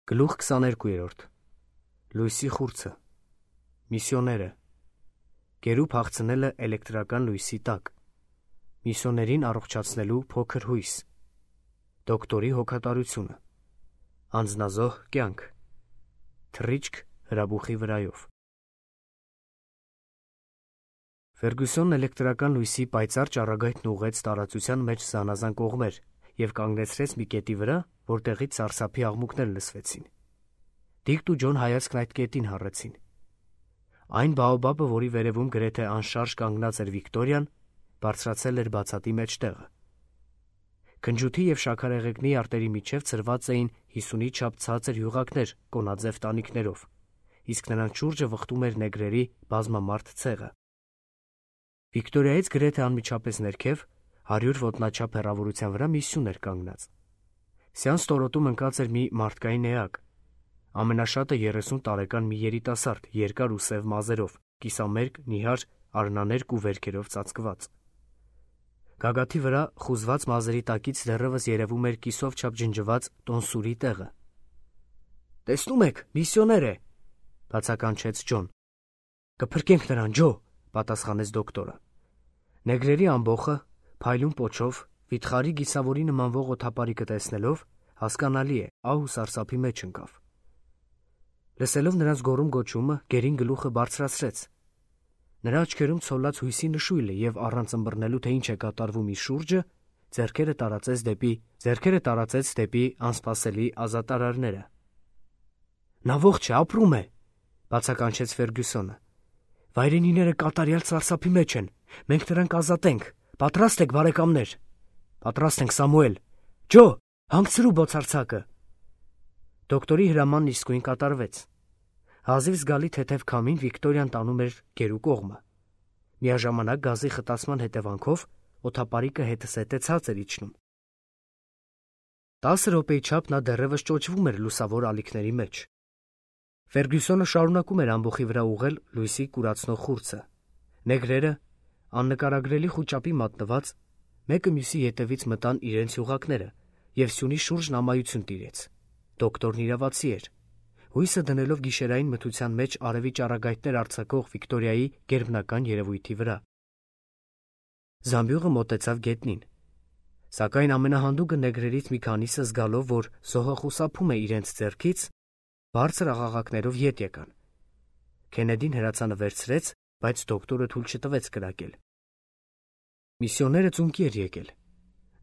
Գլուխ 22-րդ Լույսի խուրձը Միսիոները Գերու փախցնելը էլեկտրական լույսի տակ Միսիոներին առողջացնելու փոքր հույս Դոկտորի հոգատարությունը Անձնազոհ կյանք Թռիչք հրաբուխի վրայով Ֆերգուսոնն էլեկտրական լույսի պայծառ ճառագայթն ուղղեց տարածության մեջ զանազան կողմեր և կանգնեցրեց մի կետի վրա, որտեղից սարսափի աղմուկներ լսվեցին։ Դիկտ ու Ջոն հայացքն այդ կետին հառեցին։ Այն բաոբաբը, որի վերևում գրեթե անշարժ կանգնած էր Վիկտորիան, բարձրացել էր բացատի մեջտեղը։ Քնջութի և շաքարեղեգնի արտերի միջև ցրված էին 50-ի չափ ցածր յուղակներ կոնաձև տանիքներով, իսկ նրանց շուրջը վխտում էր նեգրերի բազմամարդ ցեղը։ Վիկտորիայից գրեթե անմիջապես ներքև 100 ոտնաչափ հեռավորության վրա մի սյուն էր կանգնած։ Սյան ստորոտում ընկած էր մի մարդկային էակ, ամենաշատը 30 տարեկան մի երիտասարդ, երկար ու սև մազերով, կիսամերկ, նիհար, արնաներկ ու վերքերով ծածկված։ Գագաթի վրա խուզված մազերի տակից դեռևս երևում էր կիսով չափ ջնջված տոնսուրի տեղը։ «Տեսնում եք, միսիոներ է», բացականչեց Ջոն։ «Կփրկենք նրան, Ջո», պատասխանեց դոկտորը։ Նեգրերի ամբոխը, փայլուն պոչով, վիթխարի գիսավորի նմանվող օդապարիկը տեսնելով, հասկանալի է, ահ ու սարսափի մեջ ընկավ։ Լսելով նրանց գոռում-գոչումը, գերին գլուխը բարձրացրեց։ Նրա աչքերում ցոլած հույսի նշույլը և առանց ըմբռնելու, թե ինչ է կատարվում իր շուրջը, ձեռքերը տարածեց դեպի անսպասելի ազատարարները։ «Նա ողջ է, ապրում է», բացականչեց Ֆերգուսոնը։ «Վայրենիները կատարյալ սարսափի մեջ են, մենք նրան կազատենք, պատրաստ եք, բարեկամներ»։ «Պատրաստ ենք, Սամուել»։ «Ջո, հանգցրու բոցարձակը»։ Դոկտորի հրամանն իսկույն կատարվեց։ Հազիվ զգալի թեթև քամին Վիկտորիան տանում էր գերու կողմը։ Միաժամանակ գազի խտացման հետևանքով օդապարիկը հետզհետե ցած էր իջնում։ 10 րոպեի չափ նա դեռևս ճոճվում էր լուսավոր ալիքների մեջ։ Ֆերգուսոնը շարունակում էր ամբոխի վրա ուղղել լույսի կուրացնող խուրձը։ Նեգրերը, աննկարագրելի խուճապի մատնված, մեկը մյուսի ետևից մտան իրենց յուղակները, և սյունի շուրջն ամայություն տիրեց։ Դոկտորն իրավացի էր։ Հույսը դնելով գիշերային մթության մեջ արևի ճառագայթներ արձակող Վիկտորիայի գերբնական երևույթի վրա։ Զամբյուղը մոտեցավ գետնին։ Սակայն ամենահանդուգը նեգրերից մի քանիսը, զգալով, որ զոհը խուսափում է իրենց ձեռքից, բարձր աղաղակներով ետ եկան։ Քենեդին հրացանը վերցրեց, բայց դոկտորը թույլ չտվեց կրակել։ Միսիոները ծունկի էր եկել։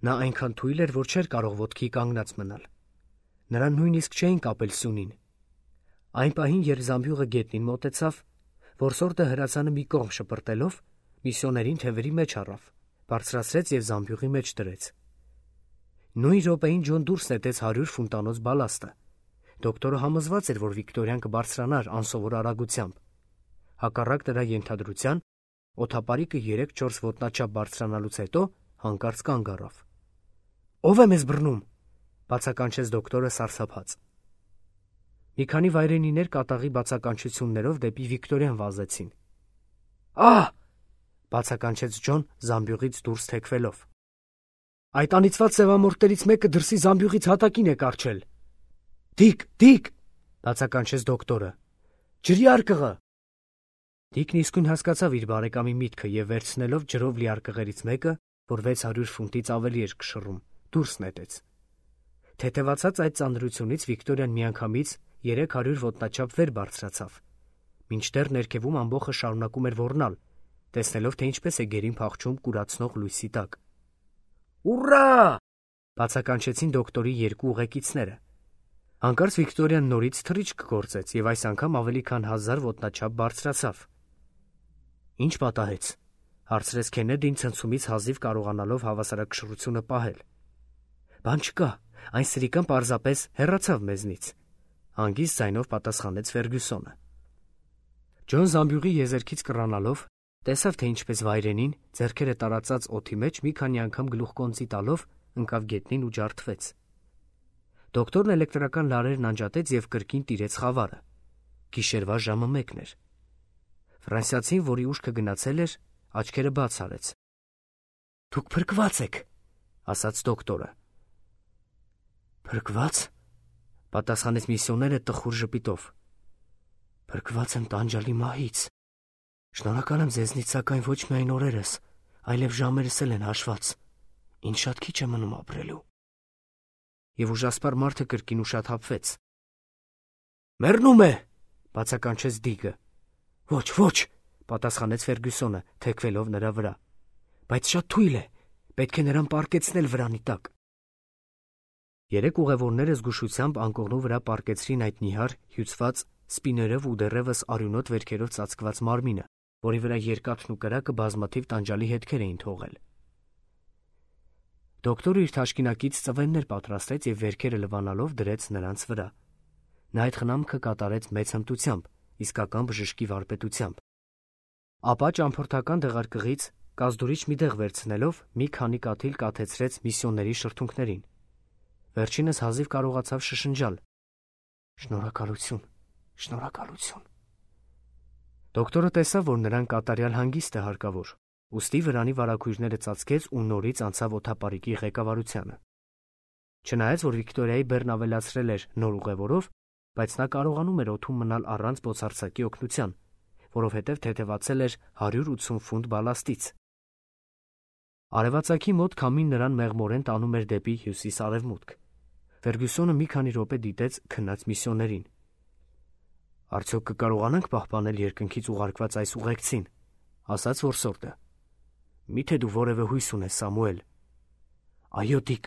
Նա այնքան թույլ էր, որ չէր կարող ոտքի կանգնած մնալ։ Նրան նույնիսկ չէին կապել սյունին։ Այն պահին, երբ զամբյուղը գետնին մոտեցավ, որսորդը հրացանը մի կողմ շպրտելով, միսիոներին թևերի մեջ առավ, բարձրացրեց և զամբյուղի մեջ դրեց։ Նույն րոպեին Ջոն դուրս նետեց 100 ֆունտանոց բալաստը։ Դոկտորը համոզված էր, որ Վիկտորիան կբարձրանար անսովոր արագությամբ։ Հակառակ նրա ենթադրության, օդապարիկը 3-4 ոտնաչափ բարձրանալուց հետո հանկարծ կանգ առավ։ «Ո՞վ է մեզ բռնում», բացականչեց դոկտորը սարսափած։ Մի քանի վայրենիներ կատաղի բացականչություններով դեպի Վիկտորիան վազեցին։ «Ահ», բացականչեց Ջոն զամբյուղից դուրս թեքվելով։ «Այդ անիծված սևամորթներից մեկը դրսի զամբյուղից հատակին է կառչել»։ «Դիկ», բացականչեց դոկտորը։ «Ջրի արկղը»։ Դիկն իսկույն հասկացավ իր բարեկամի միտքը և վերցնելով ջրով լի արկղերից մեկը, որ 600 ֆունտից ավելի էր կշռում, դուրս նետեց։ Թեթևացած այդ ծանրությունից Վիկտորիան միանգամից 300 ոտնաչափ վեր բարձրացավ, մինչդեռ ներքևում ամբոխը շարունակում էր ոռնալ, տեսնելով, թե ինչպես է գերին փախչում կուրացնող լույսի տակ։ «Ուռա!» բացականչեցին դոկտորի երկու ուղեկիցները։ Հանկարծ Վիկտորիան նորից թռիչք գործեց և այս անգամ ավելի քան 1000 ոտնաչափ բարձրացավ։ «Ինչ պատահեց», հարցրեց Քենեդին ցնցումից հազիվ կարողանալով հավասարակշռությունը պահել։ «Բան չկա, այն սրիկան պարզապես հեռացավ մեզնից», հանգիստ ձայնով պատասխանեց Ֆերգուսոնը։ Ջոն զամբյուղի եզերքից կռանալով տեսավ, թե ինչպես վայրենին, ձեռքերը տարածած օդի մեջ մի քանի անգամ գլուխկոնծի տալով ընկավ գետնին ու ջարդվեց։ Դոկտորն էլեկտրական լարերն անջատեց և կրկին տիրեց խավարը։ Գիշերվա ժամը 1 էր։ Ֆրանսիացին, որի ուշքը գնացել էր, աչքերը բաց արեց։ «Դուք փրկված եք», ասաց դոկտորը։ «Փրկվա՞ծ», Պատասխանեց միսիոները տխուր ժպիտով։ Փրկված եմ տանջալի մահից։ Շնորհակալ եմ ձեզնից, սակայն ոչ միայն օրերս, այլև ժամերս էլ են հաշված։ Ինչ շատ քիչ է մնում ապրելու։ Եվ ուժասպառ մարդը կրկին ուշաթափվեց։ Մեռնում է, բացականչեց Դիգը։ Ոչ, ոչ, պատասխանեց Ֆերգյուսոնը, թեքվելով նրա վրա։ Բայց շատ թույլ է, պետք է նրան պառկեցնել վրանի տակ։ Երեք ուղևորները զգուշությամբ անկողնու վրա պառկեցրին այդ նիհար, հյուծված, սպիներով ու դեռևս արյունոտ վերքերով ծածկված մարմինը, որի վրա երկաթն ու կրակը բազմաթիվ տանջալի հետքեր էին թողել։ Դոկտորը իր թաշկինակից ծվեններ պատրաստեց և վերքերը լվանալով դրեց նրանց վրա։ Նա այդ խնամքը կատարեց մեծ հմտությամբ, իսկական բժշկի վարպետությամբ։ Ապա ճամփորդական դեղարկղից կազդուրիչ մի դեղ վերցնելով մի քանի կաթիլ կաթեցրեց միսիոների շրթունքներին։ Վերջինս հազիվ կարողացավ շշնջալ. Շնորհակալություն, շնորհակալություն։ Դոկտորը տեսավ, որ նրան կատարյալ հանգիստ է հարկավոր, ուստի վրանի վարագույրները ծածկեց ու նորից անցավ օդապարիկի ղեկավարությանը։ Չնայած, որ Վիկտորիայի բեռն ավելացրել էր նոր ուղևորով, բայց նա կարողանում էր օդում մնալ առանց բոցարձակի օգնության, որովհետև թեթևացել էր 180 ֆունտ բալաստից։ Արևածագի մոտ քամին նրան մեղմորեն տանում էր դեպի հյուսիս-արևմուտք։ Ֆերգյուսոնը մի քանի րոպե դիտեց քնած միսիոներին։ Արդյոք կկարողանանք պահպանել երկնքից ուղարկված այս ուղեկցին, ասաց որսորդը։ Միթե դու որևէ հույս ունես, Սամուել։ Այո, Դիկ,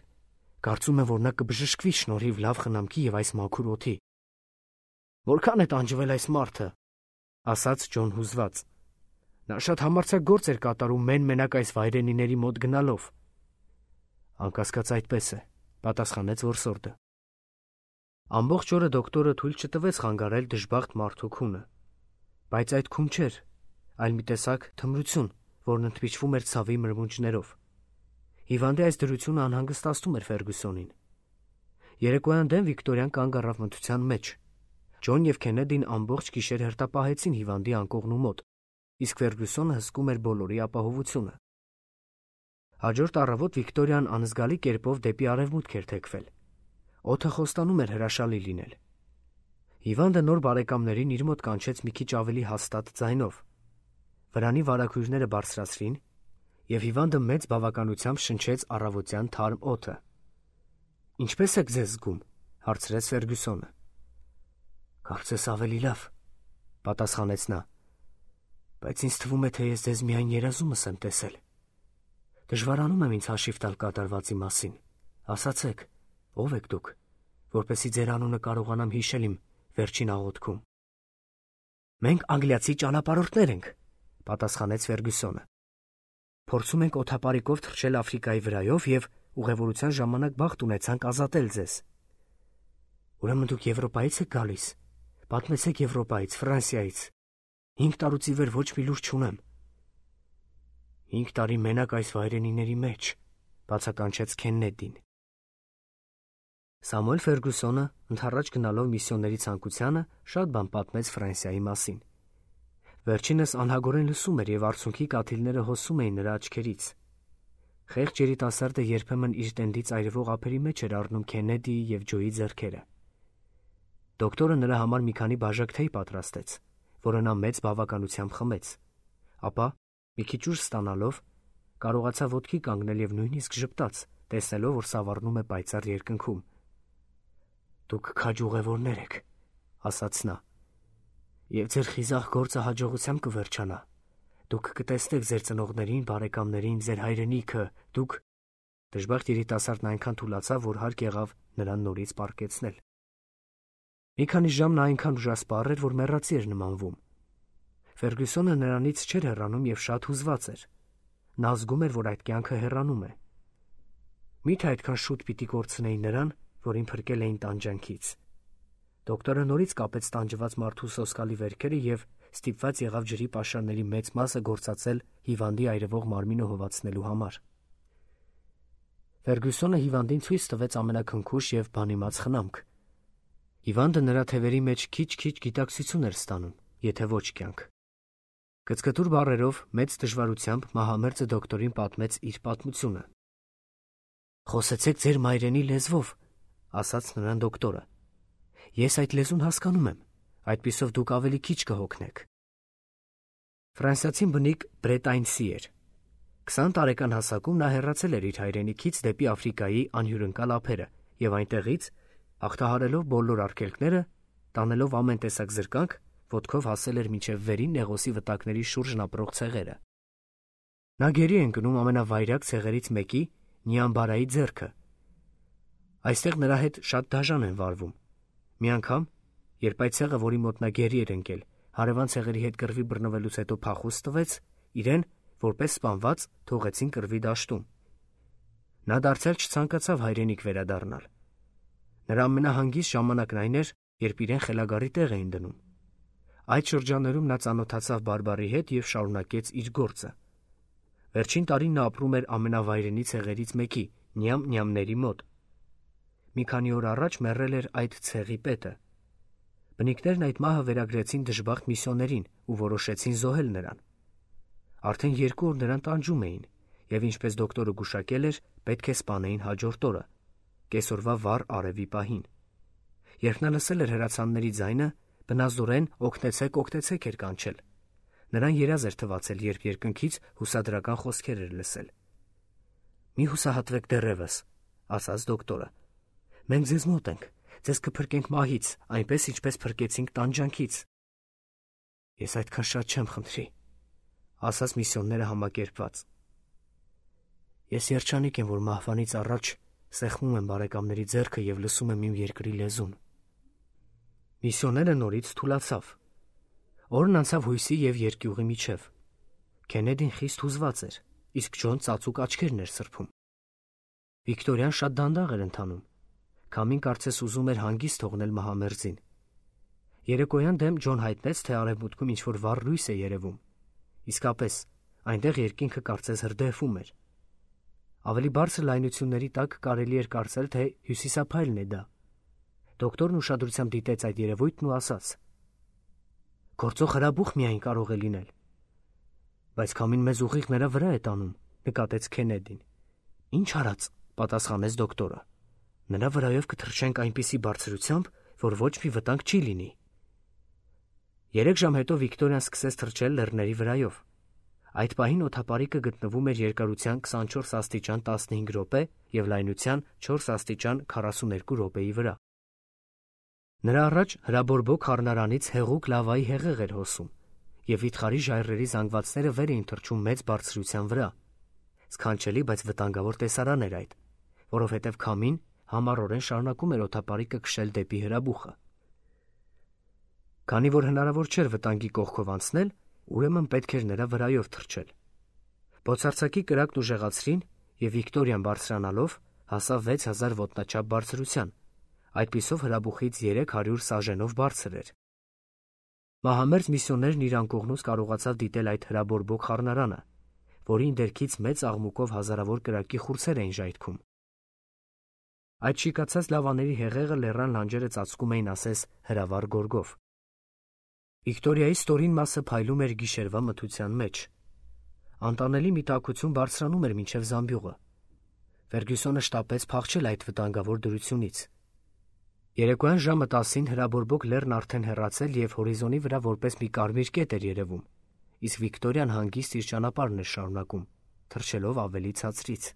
կարծում եմ, որ նա կբժշկվի շնորհիվ լավ խնամքի և այս մաքուր օդի։ Որքան է տանջվել այս մարդը, ասաց Ջոն հուզված։ Նա շատ համարձակ գործ էր կատարում մեն-մենակ այս վայրենիների մոտ գնալով։ Անկասկած այդպես է, պատասխանեց որսորդը։ Ամբողջ օրը դոկտորը թույլ չտվեց խանգարել դժբախտ մարդու քունը։ Բայց այդ քուն չէր, այլ մի տեսակ թմրություն, որն ընդմիջվում էր ցավի մրմունջներով։ Հիվանդի այս դրությունը անհանգստացնում էր Ֆերգյուսոնին։ Երեկոյան դեմ Վիկտորիան կանգ առավ մթության մեջ։ Ջոն և Քենեդին ամբողջ գիշեր հերթապահեցին հիվանդի անկողնու մոտ, իսկ Ֆերգյուսոնը հսկում էր բոլորի ապահովությունը։ Հաջորդ առավոտ Վիկտորիան անզգալի կերպով դեպի արևմուտք էր թեքվել։ Օդը խոստանում էր հրաշալի լինել։ Հիվանդը նոր բարեկամներին իր մոտ կանչեց մի քիչ ավելի հաստատ ձայնով։ Վրանի վարագույրները բարձրացրին, և հիվանդը մեծ բավականությամբ շնչեց առավոտյան թարմ օդը։ Ինչպե՞ս եք ձեզ զգում, հարցրեց Ֆերգյուսոնը։ Կարծես ավելի լավ, պատասխանեց նա, բայց ինձ թվում է, թե ես ձեզ միայն երազումս եմ տեսել։ Դժվարանում եմ ինձ հաշիվ տալ կատարվածի մասին։ Ասացեք, ով եք դուք, որպեսզի ձեր անունը կարողանամ հիշել իմ վերջին աղոթքում։ Մենք անգլիացի ճանապարհորդներ ենք, պատասխանեց Ֆերգյուսոնը։ Փորձում ենք օդապարիկով թռչել Աֆրիկայի վրայով և ուղևորության ժամանակ բախտ ունեցանք ազատել ձեզ։ Ուրեմն դուք Եվրոպայից եք գալիս։ Պատմեցեք Եվրոպայից, Ֆրանսիայից։ 5 տարուց ի վեր ոչ մի լուր չունեմ։ 5 տարի մենակ այս վայրենիների մեջ, բացականչեց Քեննեդին։ Սամուել Ֆերգյուսոնը, ընդառաջ գնալով միսիոների ցանկությանը, շատ բան պատմեց Ֆրանսիայի մասին։ Վերջինս անհագորեն լսում էր և արցունքի կաթիլները հոսում էին նրա աչքերից։ Խեղճ երիտասարդը երբեմն իր տենդից այրվող ափերի մեջ էր առնում Քեննեդիի և Ջոյի ձեռքերը։ Դոկտորը նրա համար մի քանի բաժակ թեյ պատրաստեց, որը նա մեծ բավականությամբ խմեց, ապա, մի քիչ ուժ ստանալով, կարողացավ ոտքի կանգնել և նույնիսկ ժպտաց, տեսնելով, որ սավառնում է պայծառ երկնքում։ Դուք քաջ ուղևորներ եք, ասաց նա, և ձեր խիզախ գործը հաջողությամբ կվերջանա։ Դուք կտեսնեք ձեր ծնողներին, բարեկամներին, ձեր հայրենիքը, դուք… Դժբախտ երիտասարդն այնքան թուլացավ, որ հարկ եղավ նրան նորից պառկեցնել։ Մի քանի ժամ նա այնքան ուժասպառ էր, որ մեռածի էր նմանվում։ Ֆերգյուսոնը նրանից չէր հեռանում և շատ հուզված էր։ Նա զգում էր, որ այդ կյանքը հեռանում է։ Մի՞թե այդքան շուտ պիտի կորցնեի նրան, որին փրկել էին տանջանքից։ Դոկտորը նորից կապեց տանջված մարդու սոսկալի վերքերը և ստիպված եղավ ջրի պաշարների մեծ մասը գործածել հիվանդի այրվող մարմինը հովացնելու համար։ Ֆերգյուսոնը հիվանդին ցույց տվեց ամենաքնքուշ և բանիմաց խնամք։ Հիվանդը նրա թևերի մեջ քիչ-քիչ գիտակցություն էր ստանում, եթե ոչ կյանք։ Կծկտուր բառերով, մեծ դժվարությամբ մահամերձը դոկտորին պատմեց իր պատմությունը։ Խոսեցեք ձեր մայրենի լեզվով, ասաց նրան դոկտորը։ Ես այդ լեզուն հասկանում եմ, այդպիսով դուք ավելի քիչ կհոգնեք։ Ֆրանսիացին բնիկ Բրետայնսի էր։ 20 տարեկան հասակում նա հեռացել էր իր հայրենիքից դեպի Աֆրիկայի անհյուրընկալ ափերը եւ այնտեղից, հաղթահարելով բոլոր արգելքները, տանելով ամեն տեսակ զրկանք, ոտքով հասել էր մինչև վերին Նեղոսի վտակների շուրջն ապրող ցեղերը։ Նա գերի է ընկնում ամենավայրագ ցեղերից մեկի Նիամբարայի ձեռքը։ Այստեղ նրա հետ շատ դաժան են վարվում։ Մի անգամ, երբ այդ ցեղը, որի մոտ նա գերի էր ընկել, հարևան ցեղերի հետ կռվի բռնվելուց հետո փախուստ տվեց, իրեն, որպես սպանված, թողեցին կռվի դաշտում։ Նա դարձյալ չցանկացավ հայրենիք վերադառնալ։ Նրա ամենահանգիստ ժամանակն այն էր, երբ իրեն խելագարի տեղ էին դնում։ Այդ շրջաններում նա ծանոթացավ բարբարի հետ եւ շարունակեց իր գործը։ Վերջին տարին նա ապրում էր ամենավայրենի ցեղերից մեկի՝ Նյամների մոտ։ Մի քանի օր առաջ մեռել էր այդ ցեղի պետը։ Բնիկներն այդ մահը վերագրեցին դժբախտ միսիոներին ու որոշեցին զոհել նրան։ Արդեն 2 օր նրան տանջում էին, եւ ինչպես դոկտորը գուշակել էր, պետք է սպանեին հաջորդ օրը, կեսօրվա վառ արևի պահին։ Երբ նա լսել էր հրացանների ձայնը, բնազդորեն օգնեցեք էր կանչել։ Նրան երազ էր թվացել, երբ երկնքից հուսադրական խոսքեր էր լսել։ «Մի հուսահատվեք դեռևս», ասաց դոկտորը։ «Մենք ձեզ մոտ ենք, ձեզ կփրկենք մահից, այնպես ինչպես փրկեցինք տանջանքից»։ «Ես այդքան շատ չեմ, խնդրի», ասաց միսիոները համակերպված։ «Ես երջանիկ եմ, որ մահվանից առաջ սեղմում եմ բարեկամների ձեռքը եւ լսում եմ իմ երկրի լեզուն»։ Միսիոները նորից թուլացավ։ Օրն անցավ հույսի եւ երկյուղի միջև։ Քենեդին խիստ հուզված էր, իսկ Ջոն ծածուկ աչքերն էր սրբում։ Վիկտորիան շատ դանդաղ էր ընթանում։ Քամին կարծես ուզում էր հանգիստ թողնել մահամերձին։ Երեկոյան դեմ Ջոն հայտնեց, թե արևմուտքում ինչ-որ վառ լույս է երևում։ Իսկապես, այնտեղ երկինքը կարծես հրդեհվում էր։ Ավելի բարձր լայնությունների տակ կարելի էր կարծել, թե հյուսիսափայլն է դա։ Դոկտորն ուշադրությամբ դիտեց այդ երևույթն ու ասաց. «Գործող հրաբուխ միայն կարող է լինել»։ «Բայց քամին մեզ ուղիղ նրա վրա է տանում», նկատեց Քենեդին։ «Ինչ արած», պատասխանեց դոկտորը։ «Նրա վրայով կթռչենք այնպիսի բարձրությամբ, որ ոչ մի վտանգ չի լինի»։ 3 ժամ հետո Վիկտորիան սկսեց թռչել լեռների վրայով։ Այդ պահին օդապարիկը գտնվում էր երկարության 24 աստիճան 15 րոպե եւ լայնության 4 աստիճան 42 րոպեի վրա։ Նրա առաջ հրաբորբոք խառնարանից հեղուկ լավայի հեղեղ էր հոսում, եւ վիթխարի ժայռերի զանգվածները վեր էին թռչում մեծ բարձրության վրա։ Սքանչելի, բայց վտանգավոր տեսարան էր այդ, որովհետեւ քամին համառորեն շարունակում էր օդապարիկը քշել դեպի հրաբուխը։ Քանի որ հնարավոր չէր վտանգի կողքով անցնել, ուրեմն պետք էր նրա վրայով թռչել։ Բոցարցակի կրակն ուժեղացրին, եւ Վիկտորիան բարձրանալով հասավ 6000 ոտնաչափ բարձրության, այդպիսով հրաբուխից 300 սաժենով բարձր էր։ Մահամերձ միսիոներն իր անկողնուց կարողացավ դիտել այդ հրաբորբոք խառնարանը, որին դերքից մեծ աղմուկով հազարավոր կրակի խուրձեր էին ժայթքում։ Այդ շիկացած լավաների հեղեղը լեռան լանջերը ծածկում էին ասես հրավառ գորգով։ Վիկտորիայի ստորին մասը փայլում էր գիշերվա մթության մեջ։ Անտանելի մի տաքություն բարձրանում էր մինչև զամբյուղը։ Ֆերգյուսոնը շտապեց փախչել այդ վտանգավոր դրությունից։ Երեկոյան ժամը 10-ին հրաբորբոք լեռն արդեն հեռացել եւ հորիզոնի վրա որպես մի կարմիր կետ էր երևում, իսկ Վիկտորիան հանգիստ իր ճանապարհն էր շարունակում, թռչելով ավելի ցածրից։